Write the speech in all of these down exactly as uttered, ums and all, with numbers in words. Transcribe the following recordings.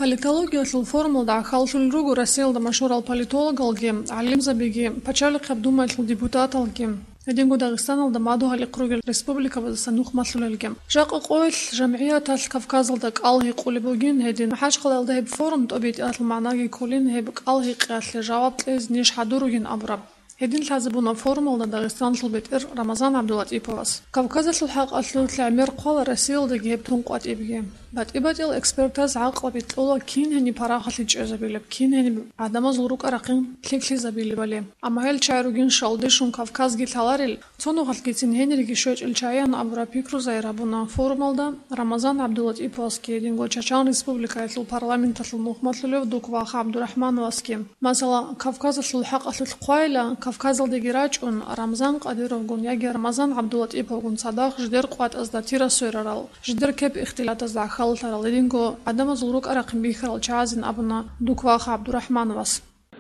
Политологиялъул форумалда гӀахьаллъулел руго Россиялда машгьурал политологалги, гӀалимзабиги, пачалихъаб думаялъул депутаталги, гьединго Дагъистаналда мадугьалихъ ругел республикабаздаса нухмалъулелги. Жакъа къоялъ жамгӀияталъ Кавказалда кӀал гьикъулеб бугин гьедин. МахӀачхъалаялда гьеб форум тӀобитӀиялъул магӀнаги кколин, гьеб кӀал гьикъиялъе жаваб кьезе ниж хӀадуругин абураб. Гьедин лъазабуна форумалда Дагъистаналъул бетӀер Рамазан ГӀабдулатӀиповас. Кавказалъул хӀакъалъулъ гӀемер хъвала Россиялдаги гьеб тун къватӀибги. БатӀи-батӀиял экспертаз гӀакълаби кьола кин гьениб парахалъе чӀезабилеб, кин гьениб гӀадамазул рукӀа-рахъин лъикӀлъизабилебали. Амма гьел чагӀи ругин шалдешун Кавказги лъаларел, цо нухалъгицин гьениреги щвечӀел чагӀиян абураб пикру загьир гьабуна форумалда Рамазан ГӀабдулатӀиповасги гьединго Чачан Республикаялъул парламенталъул нухмалъулев Дуквах ГӀабдурахӀмановасги. Масала, Кавказалъул хӀакъалъулъ хъвайила, Кавказалдеги рачӀун, Рамзан Къадировгун яги Рамазан ГӀабдулатӀиповгун цадахъ жидер къватӀазда тира сверарал, жидер кеп-ихтилатазда гӀахьаллъарал, гьединго гӀадамазул рукӀа-рахъин бихьарал чагӀазин абуна Дуквах ГӀабдурахӀмановас.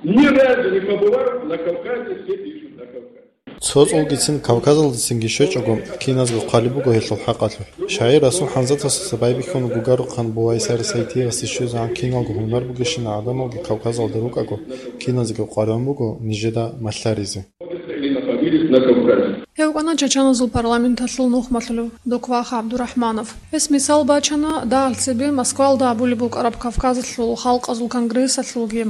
Ни разу не побывав на Кавказе, все пишут на Кавказе. Цо цӀолгицин Кавказалдецинги щвечӀого, киназго хъвалеб буго гьелъул хӀакъалъулъ. Шагьир Расул ХӀамзатовасда байбихьун бугарухъан Бувайсар Сайтиевасде щвезегӀан киналго гьунар бугещинал гӀадамалги Кавказалда рукӀаго, киназего къваригӀун буго нижеда малъаризе. Или находились на Кавказе. Гьев вукӀана Чачаназул парламенталъул нухмалъулев Дуквах ГӀабдурахӀманов. Гьес мисал бачана, дагьал цебе Москвалда гьабулеб букӀараб Кавказалъул халкъазул конгрессалъулги.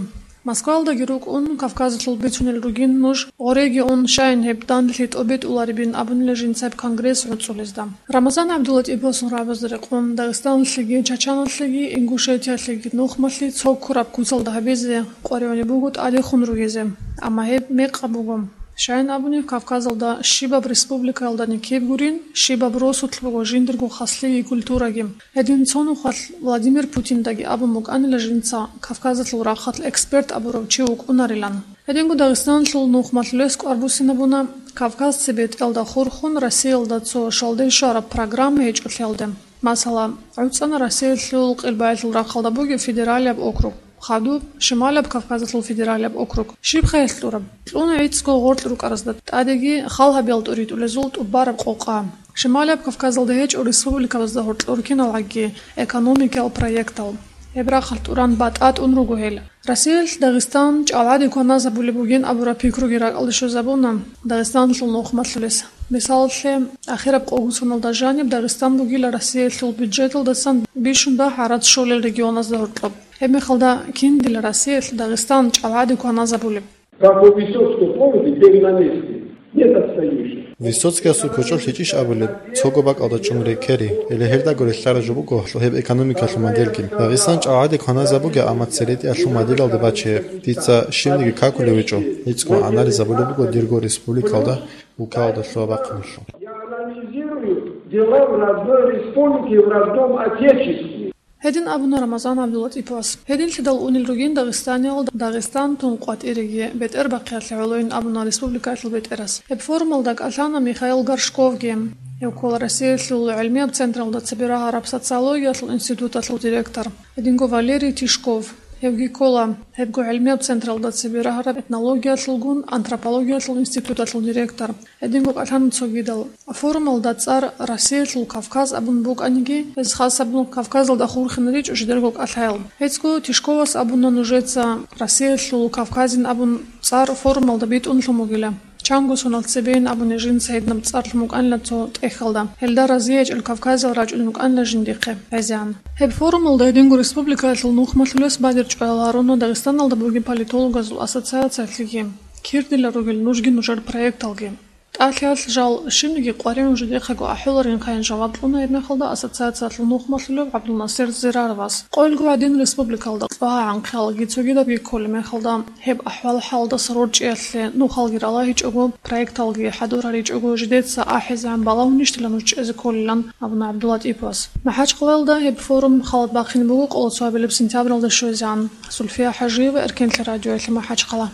Москвалдаги рукӀун, Кавказалъул бицунел ругин нуж, гъореги ун, щайин гьеб данделъи тӀобитӀуларебин абунила жинца гьеб конгресс гӀуцӀулезда. Рамазан ГӀабдулатӀиповасул рагӀабазда рекъон, Дагъистаналъеги, Чачаналъеги, Ингушетиялъеги нухмалъи цо ккураб куцалда гьабизе къваригӀунеб буго тӀадехун ругезе, амма гьеб мекъаб буго. Щайин абуни, Кавказалда щибаб республикаялдани киб гурин, щибаб росулъ буго жиндирго хаслъиги культураги. Гьедин цо нухалъ Владимир Путиндаги абун букӀанила жинца Кавказалъул рахъалъ эксперт абурав чи вукӀунарилан. Гьединго Дагъистаналъул нухмалъулес кӀвар буссинабуна Кавказ цебетӀелда хурхун Россиялда цо шалде щвараб программа гьечӀолъиялде. Масала, гӀуцӀана Россиялъул къилбаялъул рахъалда бугеб федералияб округ, хадуб Шималияб Кавказалъул федералияб округ. Щибха гьелъ кьураб? Кьуна гӀицӀго гъоркь рукӀаразда тӀадеги хал гьабиялда тӀуритӀулезул тӀубараб къокъа. Шималияб Кавказалда гьечӀо республикабазда гьоркьор кинал гӀагги экономикиял проектал. Гьеб рахъалъ тӀуран батӀа тӀун руго гьел. Россиялъ Дагъистан чӀалгӀаде кваназабулеб бугин абураб пикруги ракӀалде щвезабуна Дагъистаналъул нухмалъулес. Мисалалъе, ахираб къогосоналда жаниб Дагъистан бугила Россиялъул бюджеталдасан бищун дагь гӀарац щолел регионазда гьоркьоб. Гьеб мехалда кин дила Россиялъ Дагъистан чӀалгӀаде кваназабулеб? Как у Высоцкого, помните, «Бег на месте». Нет отстающих. Высоцкиясул кочӀолъ гьечӀищ абулеб, цого бакӀалда чӀун рекери, или гьелдаго релълъараб жо буго гьеб экономикалъул модельги. Дагъистан чӀалгӀаде кваназабуге, амма церетӀиялъул моделалда баче. Дица щибниги какулев гьечӀо, гӀицӀго анализабулеб буго дирго республикалда, улкалда лъугьа-бахъиналъул. Я анализирую дела в родной республике, в родном отечестве. Гьедин абуна Рамазан ГӀабдулатӀиповас. Гьединлъидал унел ругин Дагъистаниялда Дагъистан тун къватӀиреги, бетӀербахъиялъе гӀолойин абуна республикаялъул бетӀерас. Гьеб форумалда кӀалъана Михаил Горшковги. Гьев ккола Россиялъул гӀилмияб централда цебе рагьараб социологиялъул институталъул директор. Гьединго Валерий Тишков. Гьевги ккола гьебго гӀилмияб централда цебе рагьараб этнологиялъулгун антропологиялъул институталъул директор. Гьединго кӀалъана цогидал. Форумалда цӀар «Россиялъул Кавказ» абун букӀаниги, гьез хасабун Кавказалда хурхине ричӀо жидерго кӀалъаял. ГьецӀго Тишковас абуна нужеца «Россиялъул Кавказин» абун цӀар форумалда битӀунлъун бугила. Чанго сонал цебейин абуни жинца гьединаб цӀар лъун букӀанила цо тӀехьалда. Гьелда разиячӀел кавказиял рачӀунел рукӀанила жиндихъе гӀезегӀан. Гьеб форумалда гьединго республикаялъул нухмалъулес бадир чӀваял гьаруна Дагъистаналда бугеб политологазул ассоциациялъеги, кир дила ругел нужги нужер проекталги. ТӀалъиялъ жал щибниги къваригӀун жидехъего ахӀуларинхъайин жаваб кьуна гьеб мехалда ассоциациялъул нухмалъулев ГӀабдулнасир Зираровас. Къоялго гӀадин республикалда лъугьа-гӀанхъиялги цогидабги кколеб мехалда, гьеб ахӀвал-хӀалдаса рорчӀиялъе нухалги ралагьичӀого, проекталги хӀадур гьаричӀого, жидеца ахӀизегӀан балагьунищила нуж чӀезе кколилан абуна ГӀабдулатӀиповас. МахӀачхъалаялда гьеб форум халат бахъине буго къоло цо гьабилеб сентябралда щвезегӀан. Сульфия ХӀажиева, Эркенлъи радиоялъе, МахӀачхъала.